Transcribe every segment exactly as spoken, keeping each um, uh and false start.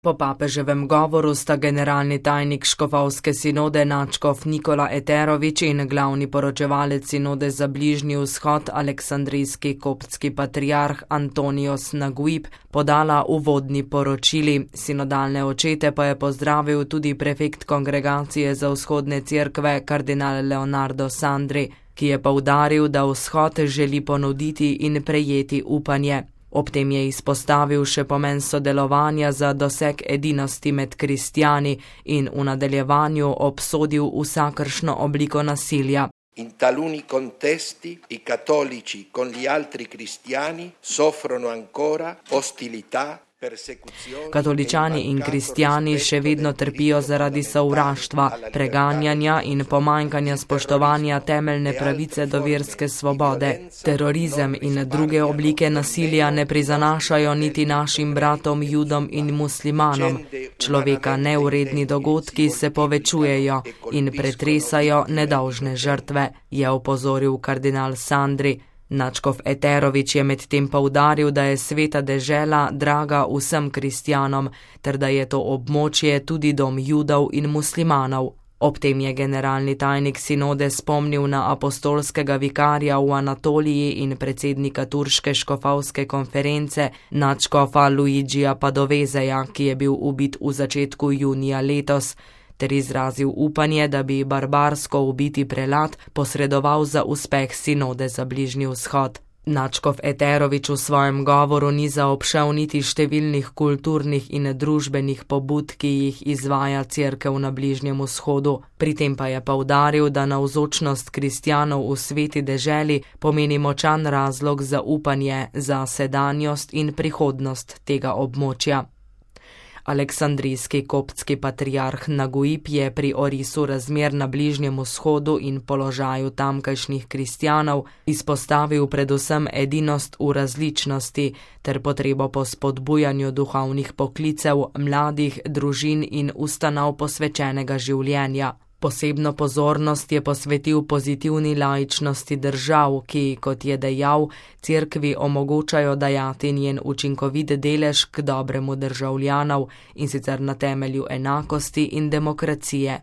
Po papeževem govoru sta generalni tajnik škofovske sinode nadškof Nikola Eterović in glavni poročevalec sinode za Bližnji vzhod aleksandrijski koptski patriarh Antonios Naguib podala uvodni poročili. Sinodalne očete pa je pozdravil tudi prefekt kongregacije za vzhodne cerkve kardinal Leonardo Sandri, ki je poudaril, da vzhod želi ponuditi in prejeti upanje. Ob tem je izpostavil še pomen sodelovanja za doseg edinosti med kristjani in v nadaljevanju obsodil vsakršno obliko nasilja. In taluni contesti i cattolici con gli altri cristiani soffrono ancora ostilità. Katoličani in kristjani še vedno trpijo zaradi sovraštva, preganjanja in pomanjkanja spoštovanja temeljne pravice do verske svobode. Terorizem in druge oblike nasilja ne prizanašajo niti našim bratom, judom in muslimanom. Človeka neuredni dogodki se povečujejo in pretresajo nedolžne žrtve, je opozoril kardinal Sandri. Nadškof Eterović je medtem poudaril, da je sveta dežela draga vsem kristjanom, ter da je to območje tudi dom judov in muslimanov. Ob tem je generalni tajnik sinode spomnil na apostolskega vikarja v Anatoliji in predsednika turške škofovske konference nadškofa Luigija Padovezeja, ki je bil ubit v začetku junija letos, ter izrazil upanje, da bi barbarsko ubiti prelat posredoval za uspeh sinode za Bližnji vzhod. Nadškof Eterović v svojem govoru ni zaobšel niti številnih kulturnih in družbenih pobud, ki jih izvaja cerkev na Bližnjem vzhodu. Pri tem pa je poudaril, da navzočnost kristjanov v sveti deželi pomeni močan razlog za upanje za sedanjost in prihodnost tega območja. Aleksandrijski koptski patriarh Naguib je pri orisu razmer na Bližnjem vzhodu in položaju tamkajšnjih kristjanov izpostavil predvsem edinost v različnosti ter potrebo po spodbujanju duhovnih poklicev, mladih, družin in ustanov posvečenega življenja. Posebno pozornost je posvetil pozitivni laičnosti držav, ki, kot je dejal, cerkvi omogočajo dajati njen učinkovit delež k dobremu državljanov in sicer na temelju enakosti in demokracije.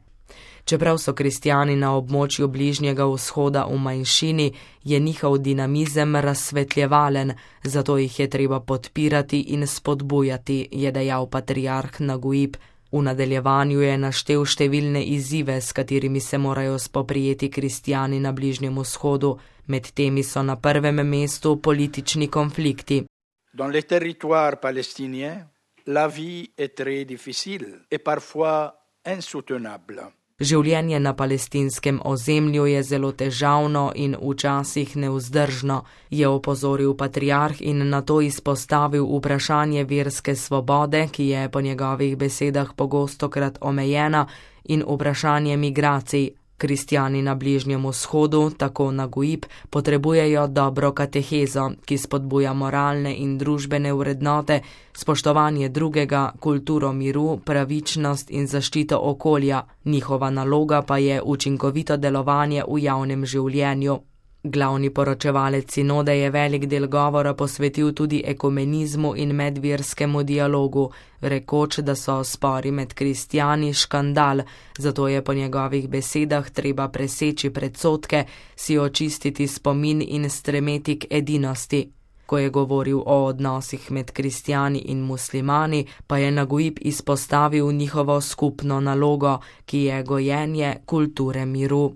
Čeprav so kristjani na območju Bližnjega vzhoda v manjšini, je njihov dinamizem razsvetljevalen, zato jih je treba podpirati in spodbujati, je dejal patriarh Naguib. V nadaljevanju je naštel številne izzive, s katerimi se morajo spoprijeti kristjani na Bližnjem vzhodu. Med temi so na prvem mestu politični konflikti. Dans les territoires palestiniens, la vie est très difficile et parfois insoutenable. Življenje na palestinskem ozemlju je zelo težavno in včasih nevzdržno, je opozoril patriarh in nato izpostavil vprašanje verske svobode, ki je po njegovih besedah pogostokrat omejena, in vprašanje migracij. Kristjani na Bližnjem vzhodu, tako Naguib, potrebujejo dobro katehezo, ki spodbuja moralne in družbene vrednote, spoštovanje drugega, kulturo miru, pravičnost in zaščito okolja. Njihova naloga pa je učinkovito delovanje v javnem življenju. Glavni poročevalec sinode je velik del govora posvetil tudi ekumenizmu in medverskemu dialogu, rekoč, da so spori med kristjani škandal, zato je po njegovih besedah treba preseči predsodke, si očistiti spomin in stremeti k edinosti. Ko je govoril o odnosih med kristjani in muslimani, pa je Naguib izpostavil njihovo skupno nalogo, ki je gojenje kulture miru.